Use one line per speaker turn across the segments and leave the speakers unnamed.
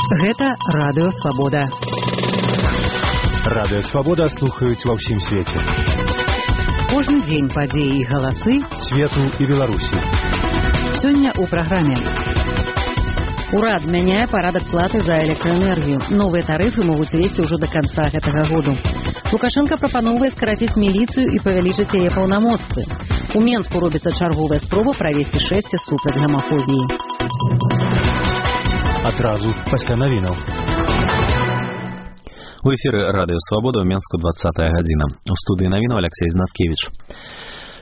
Гэта Радыё Свабода.
Радыё Свабода слухаюць ва ўсім свеце.
Кожны дзень падзеі і галасы
свету і Беларусі.
Сёння ў праграме.
Урад мяняе парадак платы за электроэнергію. Новыя тарыфы могуць увесці ўжо да канца гэтага году. Лукашенко прапановвае скараціць міліцыю і павялічыць яе паўнамоцтвы. У Менску робіцца чарговая спроба правесці шэсце супраць гамафобіі.
Адразу пасля навінаў.
У эфіры Радыё Свабода ў Менску 20-я гадзіна. У студыі навінаў Алексей Знаткевіч.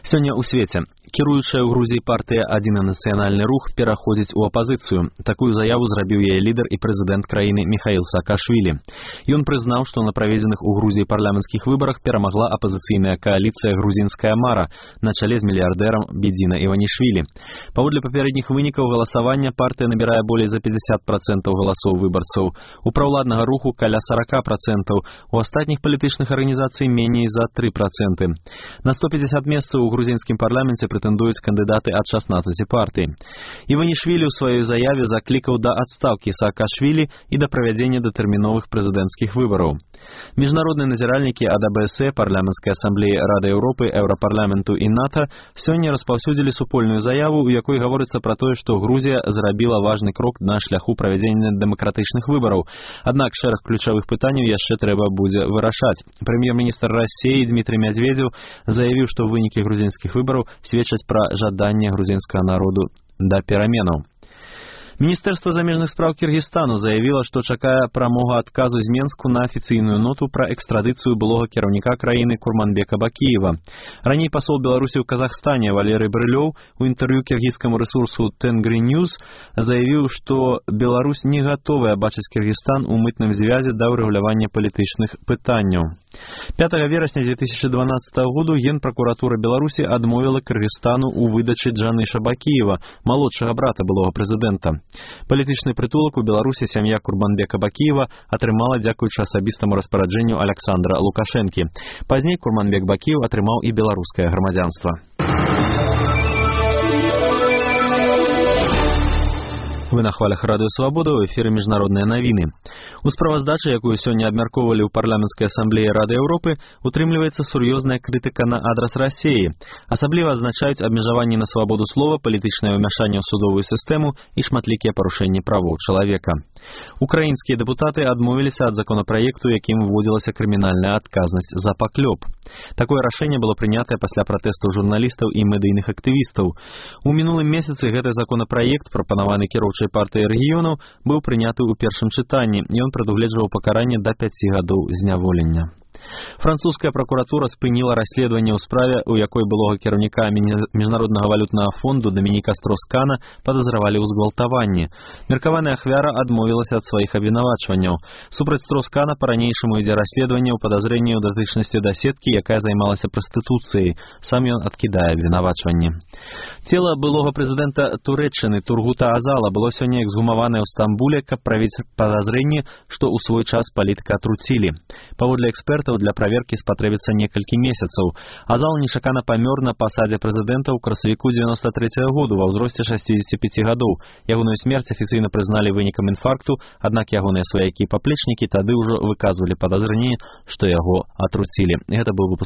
Сёння ў свеце кіруючая ў Грузіі партыя «Адзіны нацыянальны рух» пераходзіць у апазіцыю. Такую заяву зрабіў яе лідар і прэзідэнт краіны Міхаіл Саакашвілі. Ён прызнаў, што на праведзеных у Грузіі парламенцкіх выбарах перамагла апазіцыйная кааліцыя «Грузінская мара» на чале з мільярдэрам Бедзіна Іванішвілі. Паводле папярэдніх вынікаў галасавання партыя набірае болей за 50% галасоў выбарцаў. У праўладнага руху каля 40%, у астатніх палітычных арганізацый меней за 3%. На 150 месцаў у грузінскім парламенце прэтэндуюць кандыдаты ад 16 партый. Іванішвілі ў сваёй заяве заклікаў да адстаўкі Саакашвілі і да правядзення датэрміновых прэзідэнцкіх выбараў. Міжнародныя назіральнікі ад АБС, парламенцкай асамблеі Рады Еўропы, Еўрапарламенту і НАТО сёння распаўсюдзілі супольную заяву, у якой гаворыцца пра тое, што Грузія зрабіла важны крок на шляху правядзення дэмакратычных выбараў. Аднак шэраг ключавых пытанняў яшчэ трэба будзе вырашаць. Прэм'ер-міністр Расіі Дмітрый Медведзеў заявіў, што вынікі грузінскіх выбараў сведчаць пра жаданне грузінскага народу да пераменаў. Міністэрства замежных спраў Кіргізстану заявіла, што чакае прамога адказу з Менску на афіцыйную ноту пра экстрадыцыю былога кіраўніка краіны Курманбека Бакіева. Раней пасол Беларусі ў Казахстане Валерый Брылёў у інтэрв'ю кіргізскаму рэсурсу Тенгри Ньюс заявіў, што Беларусь не гатовая бачыць Кіргізстан у мытным звязе да ўрэгулявання палітычных пытанняў. 5 верасня 2012 году Генпракуратура Беларусі адмовіла Кыргызстану ў выдачы Джаныша Бакіева, малодшага брата былога прэзідэнта. Палітычны прытулак у Беларусі сям'я Курманбека Бакіева атрымала дзякуючы асабістаму распараджэнню Александра Лукашэнкі. Пазней Курманбек Бакіев атрымаў і беларускае грамадзянства. Вы на хвалях Радыё Свабода, ў эфіры міжнародныя навіны. У справаздачы, якую сёння абмяркоўвалі ў парламенцкай асамблеі Рады Еўропы, утрымліваецца сур'ёзная крытыка на адрас Расіі. Асабліва адзначаюць абмежаванні на свабоду слова, палітычнае ўмяшанне ў судовую сістэму і шматлікія парушэнні правоў чалавека. Украінскія дэпутаты адмовіліся ад законапраекту, якім вводзілася крымінальная адказнасць за паклёп. Такое рашэнне было прынятае пасля пратэстаў журналістаў і медыйных актывістаў. У мінулым месяцы гэты законапраект, прапанаваны кіроўчай партыяй рэгіёнаў, быў прыняты ў першым чытанні, і ён прадугледжваў пакаранне да 5 гадоў зняволення. Французская прокуратура спыніла расследаванне ў справе, у якой былога кіраўніка Міжнароднага валютнага фонду Дамініка Строскана падазравалі ў згвалтаванні. Меркаваная ахвяра адмовілася ад сваіх абвінавачванняў. Супраць Строскана па-ранейшаму ідзе расследаванне ў падазрэнні ў датычнасці да сеткі, якая займалася прастытуцыяй. Сам ён адкідае абвінавачванні. Цела былога прэзідэнта Турэччыны Тургута Азала было сёння эксгумаванае ў Стамбуле, каб правіць падазрэнні, што ў свой час палітыка атруцілі. Паводле экспертаў, для праверкі спатрэбіцца некалькі месяцаў. Азал нечакана памёр на пасадзе прэзідэнта ў красавіку 93-го году ва ўзросце 65 гадоў. Ягоную смерць афіцыйна прызналі вынікам інфаркту, аднак ягоныя сваякі і паплечнікі тады ўжо выказвалі падазрэнне, што яго атруцілі. Гэта быў выпуск